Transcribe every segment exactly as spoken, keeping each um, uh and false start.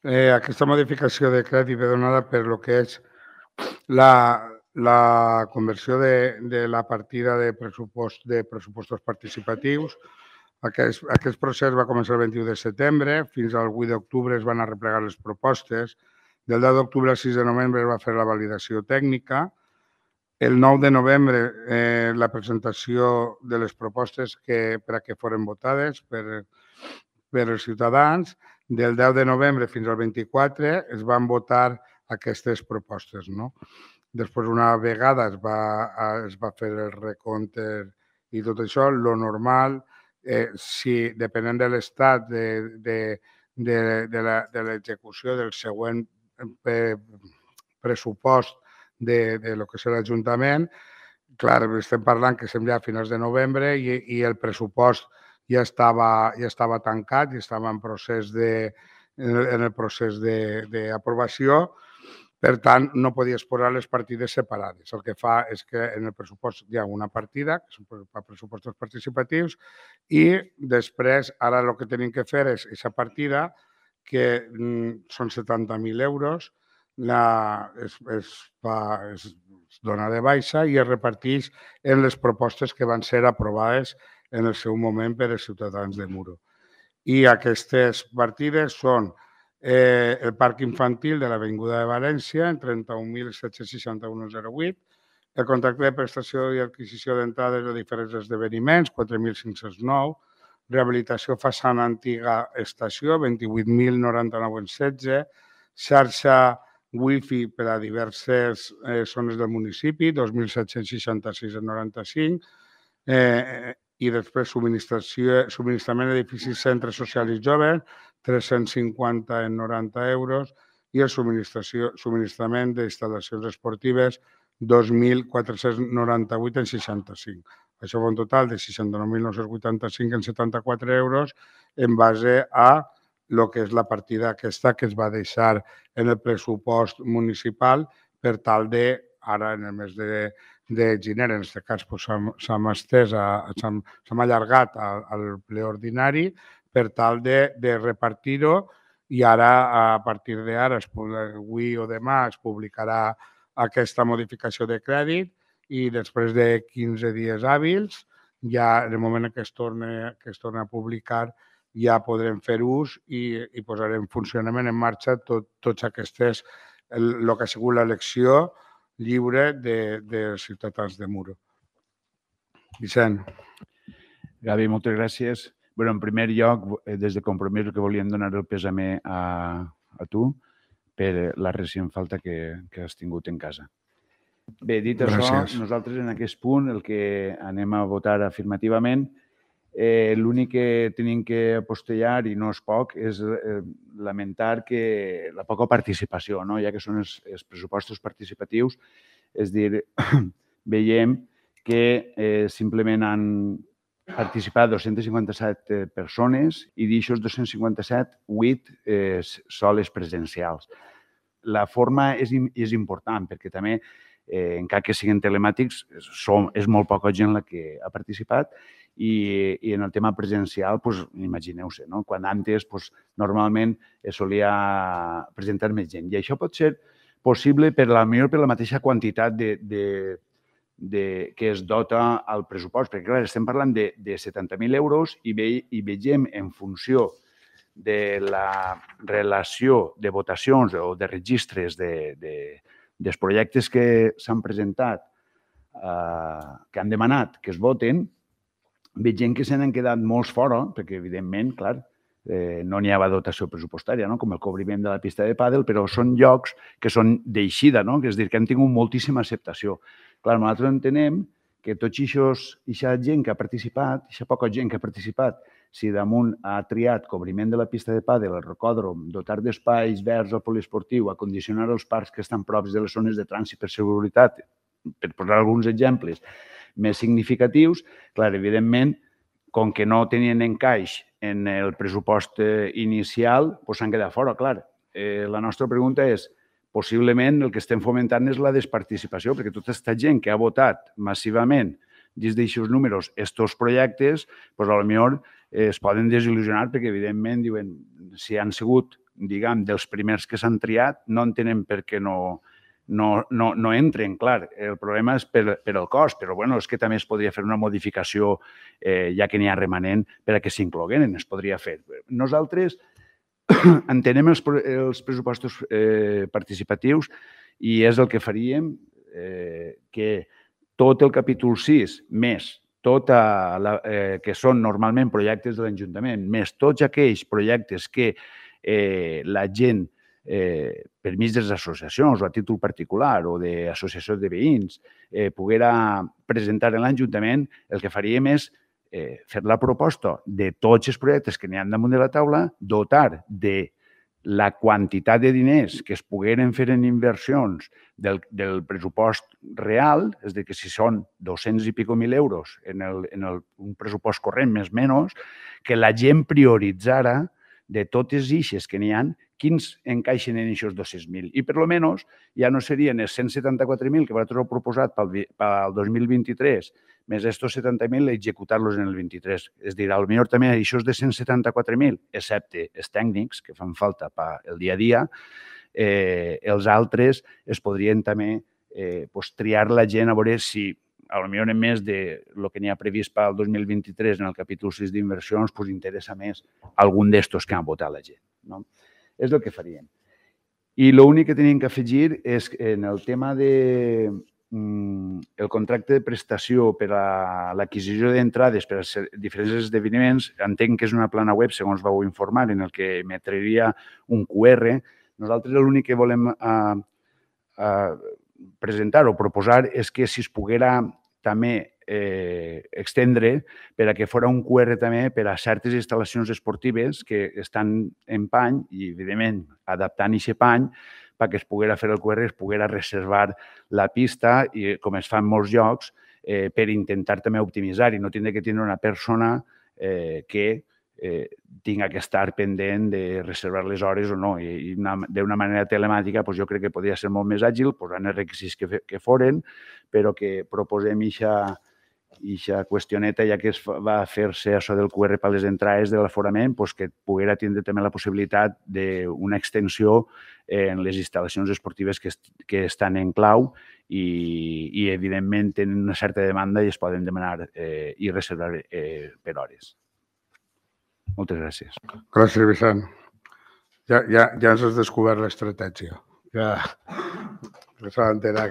Eh, aquesta modificació de crèdit ve donada per lo que és la, la conversió de, de la partida de pressupost de pressupostos participatius. Aquest, aquest procés va començar el vint-i-u de setembre, fins al vuit d'octubre es van arreplegar les propostes. Del deu d'octubre al sis de novembre es va fer la validació tècnica. El nou de novembre eh, la presentació de les propostes que, per a que foren votades per, per els ciutadans. Del deu de novembre fins al vint-i-quatre es van votar aquestes propostes. No? Després, una vegada es va, es va fer el recompte i tot això, lo normal, eh, si depenent de l'estat de, de, de, de, la, de l'execució del següent eh, pressupost de, de lo que és l'Ajuntament, clar, estem parlant que estem ja a finals de novembre i, i el pressupost ja estava, ja estava tancat, ja estava en procés de, en el procés d'aprovació. Per tant, no podies posar les partides separades. El que fa és que en el pressupost hi ha una partida, que són pressupostos participatius, i després, ara el que tenim que fer és aquesta partida, que mm, són setanta mil euros, la, es, es, fa, es dona de baixa i es reparteix en les propostes que van ser aprovades en el seu moment per als ciutadans de Muro. I aquestes partides són eh, el parc infantil de l'Avinguda de València en trenta-un mil set-cents seixanta-un coma zero vuit, el contracte de prestació i adquisició d'entrades de diferents esdeveniments, quatre mil cinc-cents nou, rehabilitació façana antiga estació, vint-i-vuit mil noranta-nou coma setze, xarxa wifi per a diverses eh, zones del municipi, dos mil set-cents seixanta-sis coma noranta-cinc, eh, i després subministrament d'edificis, centres socials i joves, tres-cents cinquanta en noranta euros, i el subministrament d'instal·lacions esportives, dos mil quatre-cents noranta-vuit en seixanta-cinc. Això fa un total de seixanta-nou mil nou-cents vuitanta-cinc en setanta-quatre euros en base a el que és la partida aquesta que es va deixar en el pressupost municipal per tal de, ara en el mes de, de gener, en aquest cas s'ha estès, s'ha allargat al, al ple ordinari per tal de, de repartir-ho i ara, a partir d'ara, avui o demà, es publicarà aquesta modificació de crèdit i després de quinze dies hàbils, ja en el moment que es torna, que es torna a publicar, ja podrem fer ús i, i posarem en funcionament, en marxa, tot, tots aquestes, el, el que ha sigut l'elecció lliure de, dels ciutadans de Muro. Vicent. Gavi, moltes gràcies. Bé, en primer lloc, des de Compromís, que volíem donar el pèsame a, a tu per la recent falta que, que has tingut en casa. Bé, dit Gràcies. això, nosaltres en aquest punt el que anem a votar afirmativament, eh, l'únic que tenim que apostellar, i no és poc, és eh, lamentar que la poca participació, no? Ja que són els, els pressupostos participatius, és dir, veiem que eh, simplement han participat dos-centes cinquanta-set persones i d'aixòs dos-cents cinquanta-set, vuit eh, soles presencials. La forma és, és important perquè també, eh, encara que siguin telemàtics, som, és molt poca gent la que ha participat i, i en el tema presencial, pues, imagineu-se, no? Quan antes pues, normalment es solia presentar més gent. I això pot ser possible per la, millor per la mateixa quantitat de, de De, que es dota al pressupost, perquè clar, estem parlant de, de setanta mil euros i, ve, i vegem en funció de la relació de votacions o de registres de, de, dels projectes que s'han presentat, eh, que han demanat que es voten, vegem que se n'han quedat molts fora, perquè evidentment, clar, eh, no n'hi ha dotació pressupostària, no? Com el cobriment de la pista de pàdel, però són llocs que són d'eixida, no? Que és dir, que han tingut moltíssima acceptació. Clar, nosaltres entenem que tots aquests, aquesta gent que ha participat, aquesta poca gent que ha participat, si damunt ha triat cobriment de la pista de pàdel, el rocòdrom, dotar d'espais verds al poliesportiu, acondicionar els parcs que estan props de les zones de trànsit per seguretat, per posar alguns exemples més significatius, clar, evidentment, com que no tenien encaix en el pressupost inicial, doncs s'han quedat fora, clar. Eh, la nostra pregunta és, possiblement el que estem fomentant és la desparticipació, perquè tota aquesta gent que ha votat massivament dins d'aixòs números estos projectes, doncs potser es poden desil·lusionar perquè, evidentment, diuen, si han sigut diguem, dels primers que s'han triat, no entenem per què no, no, no, no entren. Clar, el problema és per, per el cost, però bueno, és que també es podria fer una modificació, eh, ja que n'hi ha remanent, per a que s'incloguen, es podria fer. Nosaltres entenem els, els pressupostos eh, participatius i és el que faríem, eh, que tot el capítol sis, més tot la, eh, que són normalment projectes de l'Ajuntament, més tots aquells projectes que eh, la gent, eh, per mig de les associacions o a títol particular o d'associacions de veïns, eh, poguera presentar en l'Ajuntament, el que faríem és eh, fer la proposta de tots els projectes que n'hi ha damunt de la taula, dotar de la quantitat de diners que es pogueren fer en inversions del, del pressupost real, és a dir, que si són dos-cents i pico mil euros en, el, en el, un pressupost corrent més o menys, que la gent prioritzara de totes eixes que n'hi ha, quins encaixen en aquests dos-cents mil. I per almenys ja no serien els cent setanta-quatre mil que vosaltres heu proposat pel, pel dos mil vint-i-tres, més estos setanta mil executar-los en el vint-i-tres. És a dir, potser també això de cent setanta-quatre mil, excepte els tècnics que fan falta pel dia a dia, eh, els altres es podrien també eh, pues, triar la gent a veure si potser en més del que n'hi ha previst pel dos mil vint-i-tres en el capítol sis d'inversions, pues, interessa més algun d'estos que han votat la gent. No? És el que faríem. I l'únic que tenim que afegir és en el tema de el contracte de prestació per a l'adquisició d'entrades per a diferents esdeveniments, entenc que és una plana web, segons vau informar, en el que emetria un Q R. Nosaltres l'únic que volem a, a presentar o proposar és que si es poguera també eh, extendre per a que fos un Q R també per a certes instal·lacions esportives que estan en pany i, evidentment, adaptant aquest pany perquè es poguera fer el Q R, es poguera reservar la pista i, com es fa en molts llocs, eh, per intentar també optimitzar i no tindre que tenir una persona eh, que eh, tinga que estar pendent de reservar les hores o no. I, i d'una manera telemàtica pues, jo crec que podria ser molt més àgil, posant els requisits que, que foren, però que proposem aquesta aquesta qüestioneta, ja que es va fer-se això del Q R per les entrades de l'aforament, pues, que poguera tindre també la possibilitat d'una extensió en les instal·lacions esportives que, que estan en clau i, i, evidentment, tenen una certa demanda i es poden demanar eh, i reservar eh, per hores. Moltes gràcies. Gràcies, Vicent. Ja, ja, ja ens has descobert l'estratègia. Ja, ja s'ha d'enterar,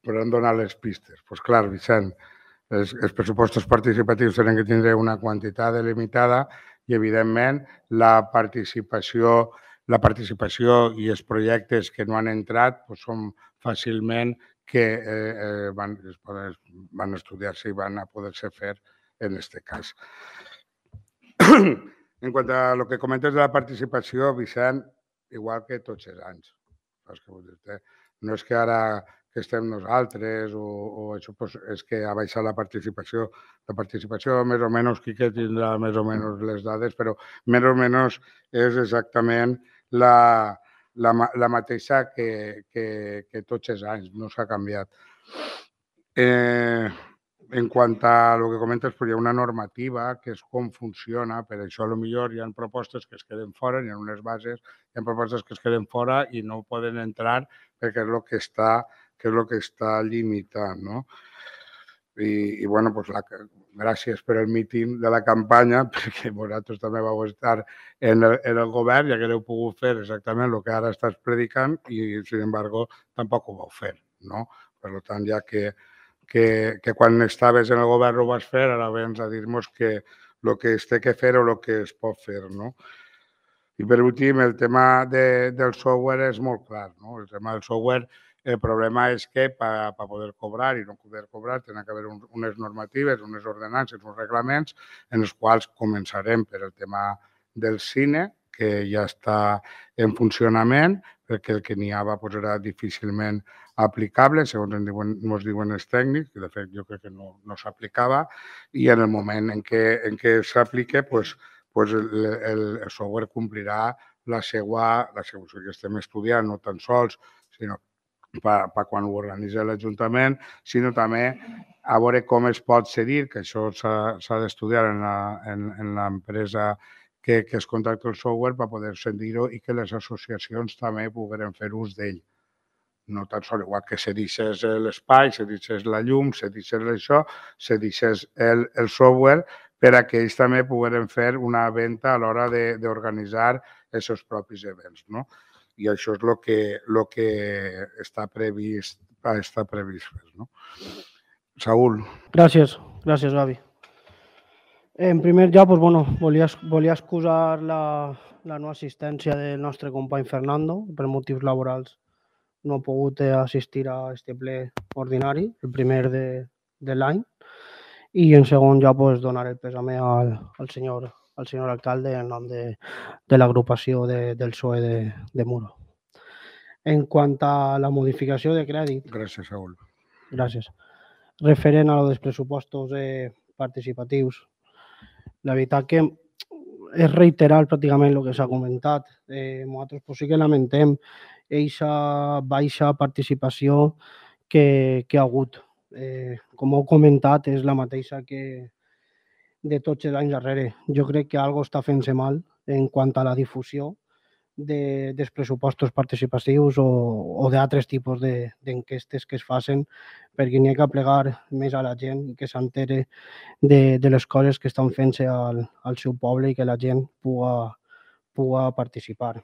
podran donar les pistes. Doncs pues clar, Vicent, els, els pressupostos participatius tenen que tindre una quantitat delimitada i, evidentment, la participació, la participació i els projectes que no han entrat pues, són fàcilment que eh, van, van estudiar-se i van a poder-se fer en aquest cas. En quant a lo que comentes de la participació, Vicent, igual que tots els anys. No és que ara que estem nosaltres o, o això pues, és que ha baixat la participació. La participació, més o menys, qui que tindrà més o menys les dades, però més o menys és exactament la, la, la mateixa que, que, que tots els anys, no s'ha canviat. Eh, en quant a el que comentes, pues, hi ha una normativa que és com funciona, per això potser hi ha propostes que es queden fora, hi ha unes bases, hi ha propostes que es queden fora i no poden entrar perquè és el que està, que és el que està limitat, no? I, i bueno, pues la, gràcies per el míting de la campanya, perquè vosaltres també vau estar en el, en el govern, ja que heu pogut fer exactament el que ara estàs predicant i, sin embargo, tampoc ho vau fer, no? Per tant, ja que Que, que quan estaves en el govern ho vas fer, ara vens a dir-nos que el que es té que fer o el que es pot fer, no? I per últim, el tema de, del software és molt clar, no? El tema del software, el problema és que per poder cobrar i no poder cobrar tenen que haver un, unes normatives, unes ordenances, uns reglaments en els quals començarem per el tema del cine, que ja està en funcionament, perquè el que n'hi havia pues, era difícilment aplicable, segons ens diuen, ens diuen els tècnics, que de fet jo crec que no, no s'aplicava, i en el moment en què, en què s'aplica, pues, pues el, el, el software complirà la seva, la seva, o sigui, que estem estudiant no tan sols, sinó per, per quan ho organitza l'Ajuntament, sinó també a veure com es pot cedir, que això s'ha d'estudiar en l'empresa que, que es contracti el software per poder sentir-ho i que les associacions també pogueren fer ús d'ell. No tan sols igual que se deixés l'espai, se deixés la llum, se deixés això, se deixés el, el software per a que ells també pogueren fer una venda a l'hora d'organitzar els seus propis events, no? I això és el que, lo que està previst, està previst fer, no? Saúl. Gràcies, gràcies, Gavi. En primer lloc, pues, bueno, volia, volia excusar la, la no assistència del nostre company Fernando per motius laborals. No ha pogut assistir a este ple ordinari, el primer de, de l'any. I en segon lloc, pues, donar el pèsame al, al, senyor, al senyor alcalde en nom de, de l'agrupació de, del P S O E de, de Muro. En quant a la modificació de crèdit... Gràcies, Saúl. Gràcies. Referent a los pressupostos eh, participatius, la veritat que és reiterar pràcticament el que s'ha comentat. Eh, nosaltres pues, sí que lamentem aquesta baixa participació que, que ha hagut. Eh, com heu comentat, és la mateixa que de tots els anys darrere. Jo crec que alguna cosa està fent-se mal en quant a la difusió de, dels pressupostos participatius o, o d'altres tipus d'enquestes de, que es facin, perquè n'hi ha que plegar més a la gent i que s'entere de, de les coses que estan fent-se al, al seu poble i que la gent puga, puga participar.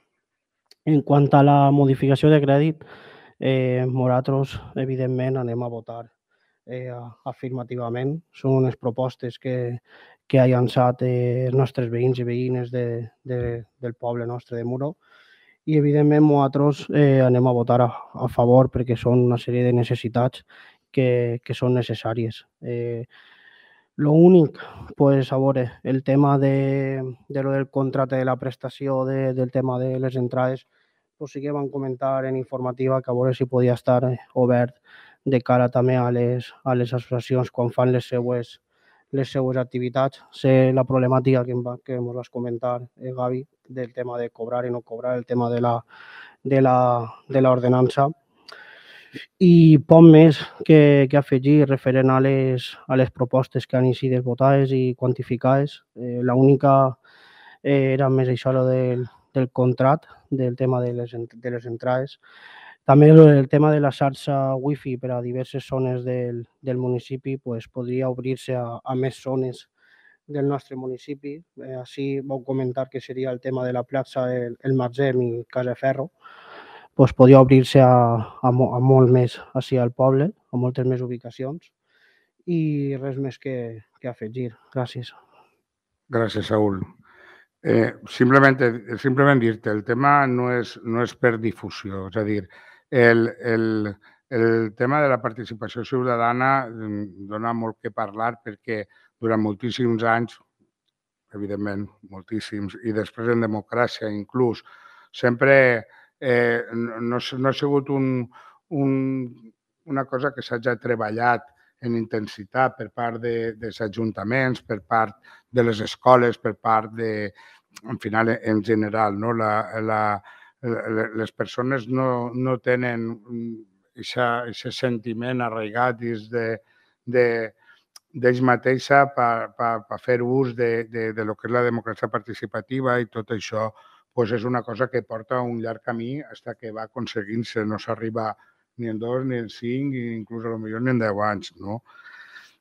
En quant a la modificació de crèdit, eh, nosaltres, evidentment, anem a votar eh, afirmativament. Són unes propostes que, que ha llançat eh, els nostres veïns i veïnes de, de, del poble nostre de Muro i, evidentment, nosaltres eh, anem a votar a, a favor perquè són una sèrie de necessitats que, que són necessàries. Eh, L'únic, pues, a veure, el tema de, de lo del contracte de la prestació, de, del tema de les entrades, pues sí que van comentar en informativa que a veure si podia estar obert de cara també a les, a les associacions quan fan les seues, les seues activitats. Sé la problemàtica que, va, que ens vas comentar, eh, Gavi, del tema de cobrar i no cobrar, el tema de la, de la, de l'ordenança. I poc més que, que afegir referent a les, a les propostes que han sigut votades i quantificades. Eh, L'única eh, era més això del, del contracte, del tema de les, de les entrades. També el tema de la xarxa wifi per a diverses zones del, del municipi pues, podria obrir-se a, a més zones del nostre municipi. Eh, així vau comentar que seria el tema de la plaça El, el Margem i Casaferro. Pues, podia obrir-se a, a, a molt més així al poble, a moltes més ubicacions, i res més que, que afegir. Gràcies. Gràcies, Saúl. Eh, simplement, simplement dir-te, el tema no és, no és per difusió, és a dir, el, el, el tema de la participació ciutadana dona molt que parlar perquè durant moltíssims anys, evidentment, moltíssims, i després en democràcia inclús, sempre eh, no, no ha sigut un, un, una cosa que s'hagi treballat en intensitat per part de, dels ajuntaments, per part de les escoles, per part de, en final, en general, no? La, la, les persones no, no tenen aquest sentiment arraigat dins de, de, d'ells mateixa per, per, per fer ús de, de, de lo que és la democràcia participativa i tot això pues és una cosa que porta un llarg camí fins que va aconseguint-se. No s'arriba ni en dos, ni en cinc, i inclús a lo millor ni en deu anys. No?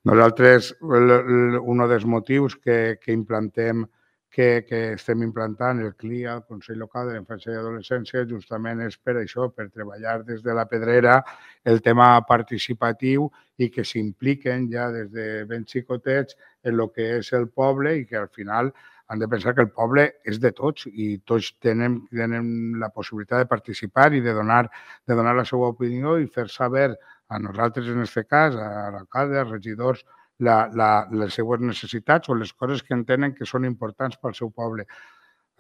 Nosaltres, un dels motius que, que implantem, que, que estem implantant el C L I A, el Consell Local de la Infància i Adolescència, justament és per això, per treballar des de la pedrera el tema participatiu i que s'impliquen ja des de ben xicotets en el que és el poble i que al final han de pensar que el poble és de tots i tots tenen, tenen la possibilitat de participar i de donar, de donar la seva opinió i fer saber a nosaltres, en aquest cas, a l'alcalde, als regidors, la, la, les seues necessitats o les coses que entenen que són importants pel seu poble.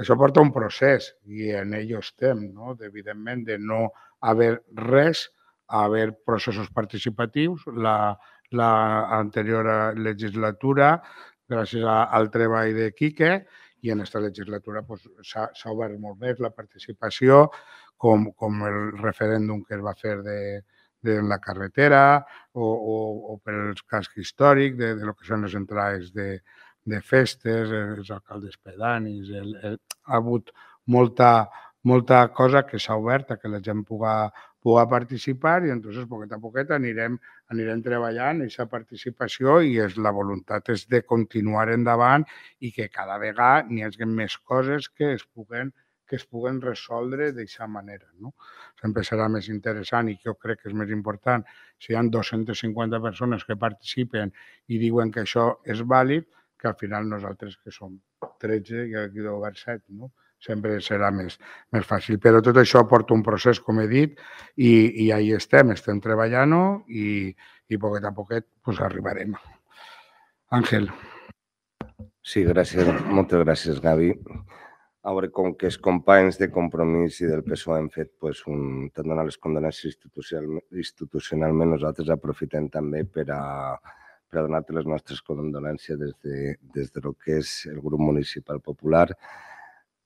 Això porta un procés i en ell estem, no? Evidentment, de no haver res, haver processos participatius. La, la anterior legislatura, gràcies al treball de Quique, i en aquesta legislatura pues, s'ha obert molt més la participació, com, com el referèndum que es va fer de, de la carretera o, o, o per el casc històric de, de lo que són les entrades de, de festes, els alcaldes pedanis, el, el, ha hagut molta, molta cosa que s'ha obert a que la gent puga, puga participar i entonces poquet a poquet anirem, anirem treballant aquesta participació i és, la voluntat és de continuar endavant i que cada vegada n'hi hagi més coses que es puguen que es puguen resoldre d'aquesta manera. No? Sempre serà més interessant i jo crec que és més important si hi ha dues-centes cinquanta persones que participen i diuen que això és vàlid, que al final nosaltres que som tretze i aquí deu haver set, no? Sempre serà més, més fàcil. Però tot això porta un procés, com he dit, i, i ahí estem, estem treballant-ho i, i poquet a poquet pues, arribarem. Àngel. Sí, gràcies, moltes gràcies, Gavi. A veure, com que els companys de Compromís i del P S O E han fet pues, un, tant donar les condolències institucionalment, nosaltres aprofitem també per a, per a donar-te les nostres condolències des de, des de lo que és el grup municipal popular,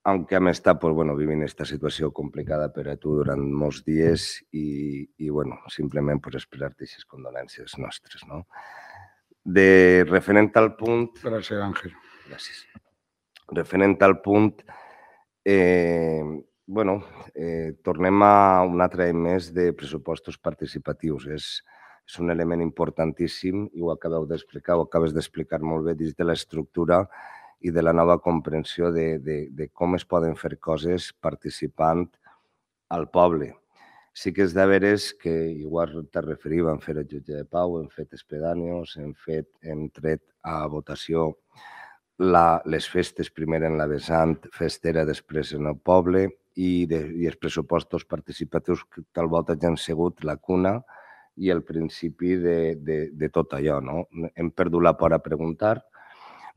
aunque hem estat pues, bueno, vivint aquesta situació complicada per a tu durant molts dies i, i bueno, simplement pues, expressar-te aquestes condolències nostres. No? De referent al punt... Gràcies, Àngel. Gràcies. Referent al punt, eh, bueno, eh, tornem a un altre any més de pressupostos participatius. És, és un element importantíssim i ho acabeu d'explicar, ho acabes d'explicar molt bé dins de l'estructura i de la nova comprensió de, de, de com es poden fer coses participant al poble. Sí que és de veres que, igual te referiva, hem fet el jutge de pau, hem fet espedanis, hem, fet, hem tret a votació la, les festes, primer en la vessant festera, després en el poble, i, de, i els pressupostos participatius que tal volta ja han sigut la cuna i el principi de, de, de tot allò. No? Hem perdut la por a preguntar.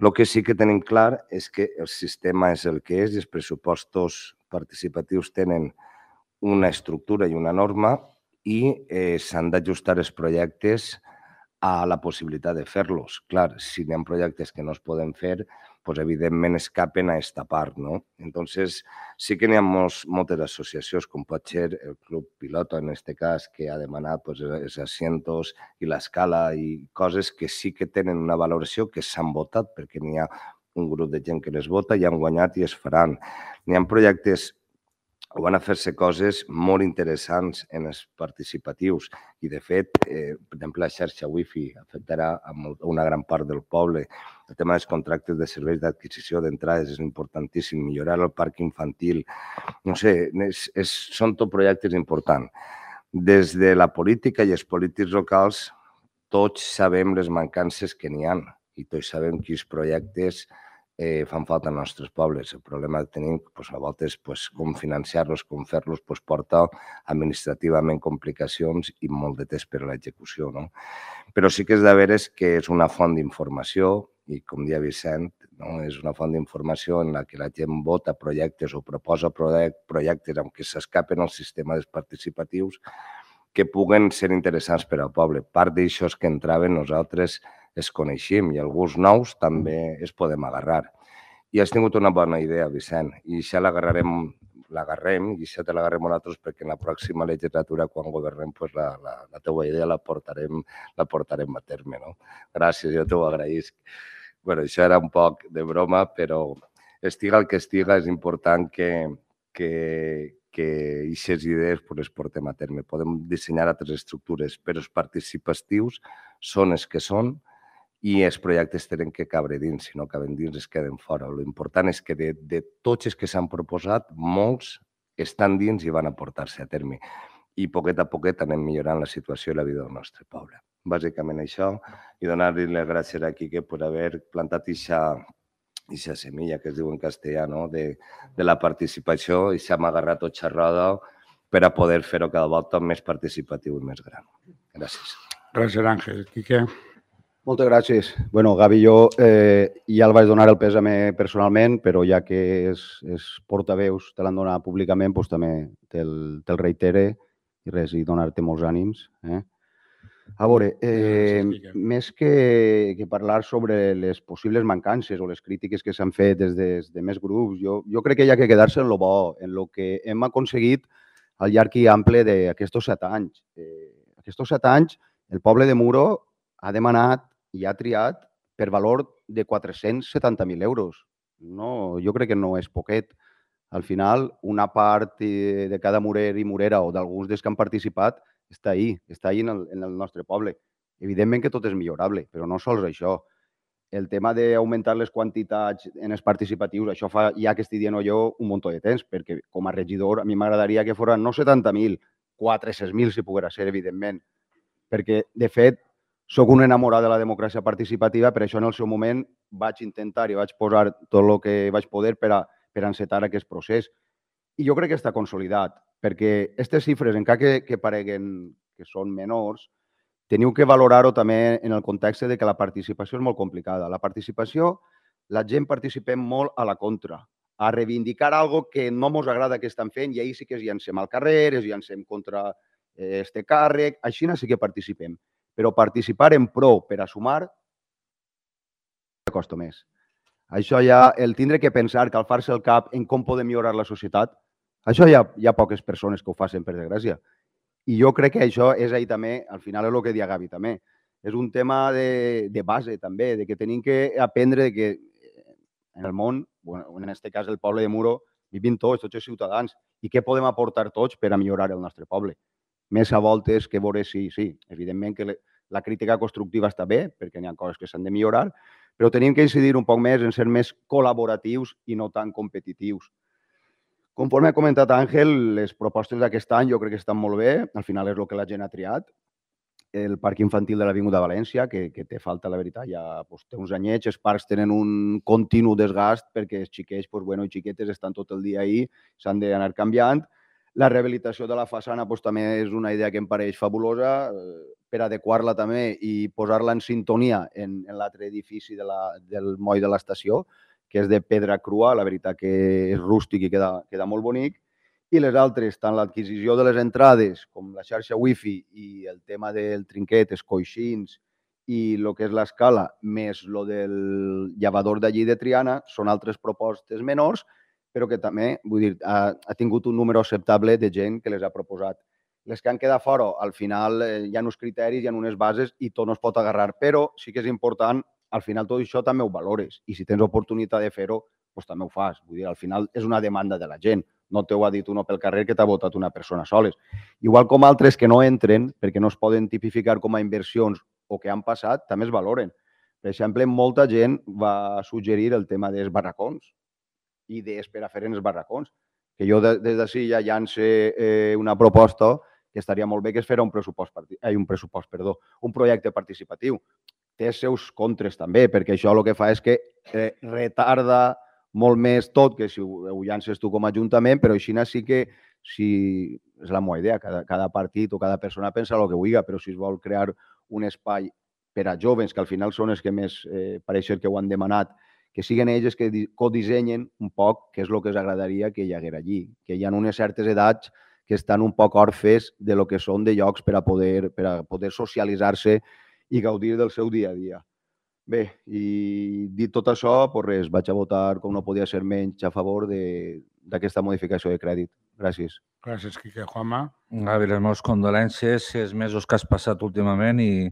El que sí que tenim clar és que el sistema és el que és i els pressupostos participatius tenen una estructura i una norma i eh, s'han d'ajustar els projectes a la possibilitat de fer-los. Clar, si hi ha projectes que no es poden fer, pues, evidentment escapen a aquesta part. No? Entonces, sí que n'hi ha molts, moltes associacions, com pot ser el Club Piloto, en aquest cas, que ha demanat pues, els asientos i l'escala i coses que sí que tenen una valoració, que s'han votat, perquè n'hi ha un grup de gent que les vota i han guanyat i es faran. N'hi ha projectes o van a fer-se coses molt interessants en els participatius i, de fet, eh, per exemple, la xarxa Wi-Fi afectarà a una gran part del poble. El tema dels contractes de serveis d'adquisició d'entrades és importantíssim, millorar el parc infantil. No sé, és, és, són tot projectes importants. Des de la política i els polítics locals, tots sabem les mancances que n'hi ha i tots sabem quins projectes Eh, fan falta als nostres pobles. El problema que tenim pues, a voltes pues, com financiar-los, com fer-los, pues, porta administrativament complicacions i molt de temps per a l'execució. No? Però sí que és de veres que és una font d'informació i, com deia Vicent, no? És una font d'informació en la que la gent vota projectes o proposa projectes amb què s'escapen al sistema dels participatius que puguen ser interessants per al poble. Part d'això que entraven nosaltres es coneixem i alguns nous també es podem agarrar. I has tingut una bona idea, Vicent, i això l'agarrarem, l'agarrem i això te l'agarrem nosaltres perquè en la pròxima legislatura, quan governem, pues la, la, la teua idea la portarem, la portarem a terme. No? Gràcies, jo t'ho agraïsc. Bueno, això era un poc de broma, però estiga el que estiga, és important que, que, que aquestes idees pues, les portem a terme. Podem dissenyar altres estructures, però els participatius són els que són i els projectes tenen que cabre dins, si no caben dins es queden fora. L'important és que de, de tots els que s'han proposat, molts estan dins i van a portar-se a terme. I poquet a poquet anem millorant la situació i la vida del nostre poble. Bàsicament això, i donar-li les gràcies a Quique per haver plantat aquesta semilla que es diu en castellà, no? de, de la participació, i s'ha agarrat tot xerrada per a poder fer-ho cada volta més participatiu i més gran. Gràcies. Gràcies, Àngel. Quique. Moltes gràcies. Bueno, Gavi, jo eh, ja el vaig donar el pèsame personalment, però ja que és, és portaveus te l'han donat públicament, doncs també te'l te reitere i res, i donar-te molts ànims. Eh? A veure, eh, més que, que parlar sobre les possibles mancances o les crítiques que s'han fet des de, des de més grups, jo, jo crec que hi ha que quedar-se en lo bo, en lo que hem aconseguit al llarg i ample d'aquests set anys. Eh, aquests set anys, el poble de Muro ha demanat i ha triat per valor de quatre-cents setanta mil euros. No, jo crec que no és poquet. Al final, una part de cada murer i murera o d'alguns dels que han participat està ahí, està ahí en el, en el nostre poble. Evidentment que tot és millorable, però no sols això. El tema d'augmentar les quantitats en els participatius, això fa ja que estic dient jo un munt de temps, perquè com a regidor a mi m'agradaria que foren no setanta mil, quatre-cents mil si poguera ser, evidentment. Perquè, de fet, soc un enamorat de la democràcia participativa, per això en el seu moment vaig intentar i vaig posar tot el que vaig poder per a, per a encetar aquest procés. I jo crec que està consolidat, perquè aquestes xifres, encara que, que pareguen que són menors, teniu que valorar-ho també en el context de que la participació és molt complicada. La participació, la gent participem molt a la contra, a reivindicar algo que no ens agrada que estan fent i ahir sí que es llancem al carrer, es llancem contra este càrrec, així sí que participem. Però participar en pro per a sumar costa més. Això ja, el tindre que pensar, calfar-se el cap en com podem millorar la societat, això hi ha, hi ha poques persones que ho facin, per desgràcia. I jo crec que això és ahí també, al final és el que dia Gavi també. És un tema de, de base també, de que tenim que aprendre que en el món, bueno, en aquest cas el poble de Muro, vivim tots, tots els ciutadans, i què podem aportar tots per a millorar el nostre poble. Més a voltes que veure si, sí, evidentment que la crítica constructiva està bé, perquè hi ha coses que s'han de millorar, però tenim que incidir un poc més en ser més col·laboratius i no tan competitius. Conforme ha comentat Àngel, les propostes d'aquest any jo crec que estan molt bé. Al final és el que la gent ha triat. El parc infantil de l'Avinguda València, que, que té falta, la veritat, ja pues, té uns anyets. Els parcs tenen un continu desgast perquè els xiquets pues, bueno, i xiquetes estan tot el dia ahí, s'han d'anar canviant. La rehabilitació de la façana pues, també és una idea que em pareix fabulosa per adequar-la també i posar-la en sintonia en, en l'altre edifici de la, del moll de l'estació, que és de pedra crua, la veritat que és rústic i queda, queda molt bonic. I les altres, tant l'adquisició de les entrades com la xarxa wifi i el tema del trinquet, els coixins i el que és l'escala, més el del llevador d'allí de Triana, són altres propostes menors, però que també vull dir, ha, ha tingut un número acceptable de gent que les ha proposat. Les que han quedat fora, al final eh, hi ha uns criteris, hi ha unes bases i tot no es pot agarrar, però sí que és important, al final tot això també ho valores i si tens oportunitat de fer-ho, doncs també ho fas. Vull dir, al final és una demanda de la gent. No t'ho ha dit uno pel carrer que t'ha votat una persona soles. Igual com altres que no entren, perquè no es poden tipificar com a inversions o que han passat, també es valoren. Per exemple, molta gent va suggerir el tema dels barracons i d'esperar fer en els barracons. Que jo des d'ací ja llance eh, una proposta que estaria molt bé que es fera un pressupost, eh, un pressupost, perdó, un projecte participatiu. Té els seus contres també, perquè això el que fa és que eh, retarda molt més tot que si ho, ho llances tu com a ajuntament, però així sí que, si és la meva idea, cada, cada partit o cada persona pensa el que vulgui, però si es vol crear un espai per a joves, que al final són els que més eh, pareix que ho han demanat, que siguin ells que codissenyen un poc què és el que els agradaria que hi haguera allí, que hi ha unes certes edats que estan un poc orfes de lo que són de llocs per a poder, per a poder socialitzar-se i gaudir del seu dia a dia. Bé, i dit tot això, pues res, vaig a votar, com no podia ser menys, a favor d'aquesta modificació de crèdit. Gràcies. Gràcies, Quique. Juanma? Gavi, les meves condolències, els mesos que has passat últimament i,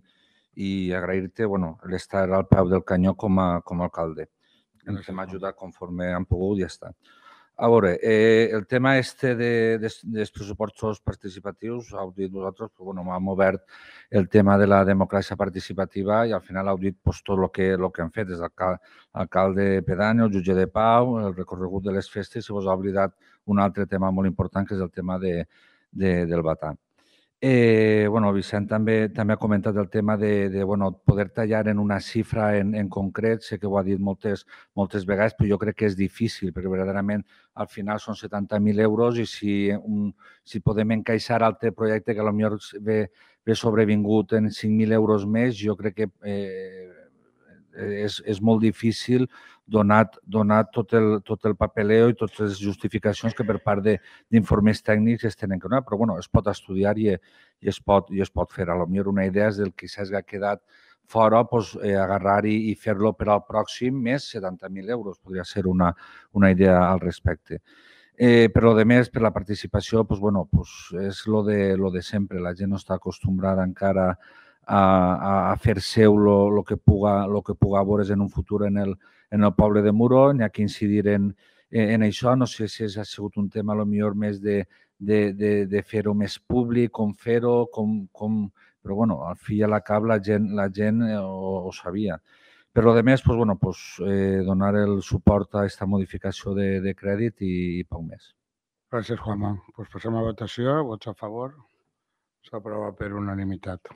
i agrair-te bueno, l'estar al peu del canyó com a, com a alcalde. Ens hem ajudat conforme hem pogut i ja està. A veure, eh, el tema este de, de, dels pressupostos participatius, heu dit vosaltres, però bueno, hem obert el tema de la democràcia participativa i al final heu dit pues, tot el que, lo que han fet des l'alcalde pedani, el jutge de pau, el recorregut de les festes i vos ha oblidat un altre tema molt important que és el tema de, de, del batà. Eh, bueno, Vicent també, també ha comentat el tema de, de bueno, poder tallar en una xifra en, en concret. Sé que ho ha dit moltes, moltes vegades, però jo crec que és difícil, perquè verdaderament al final són setanta mil euros i si, un, si podem encaixar altre projecte que potser ve, ve sobrevingut en cinc mil euros més, jo crec que eh, és, és molt difícil donat, donat tot, el, tot el papeleo i totes les justificacions que per part d'informes tècnics es tenen que donar, però bueno, es pot estudiar i, i, es, pot, i es pot fer. A lo millor una idea és del que s'ha quedat fora, pues, eh, agarrar i, i fer-lo per al pròxim més setanta mil euros. Podria ser una, una idea al respecte. Eh, per lo de més, per la participació, pues, bueno, pues, és lo de, lo de sempre. La gent no està acostumbrada encara a, a fer seu el que puga, lo que puga veure's en un futur en el, en el poble de Muro. N'hi ha que incidir en, en això. No sé si ha sigut un tema a lo millor més de, de, de, de fer-ho més públic, com fer-ho, com, com... però bueno, al fi i a la cap la gent, la gent ho, ho sabia. Per lo demés, pues, bueno, pues, eh, donar el suport a aquesta modificació de, de crèdit i, i poc més. Gràcies, Juanma. Pues passem a votació. Vots a favor. S'aprova per unanimitat.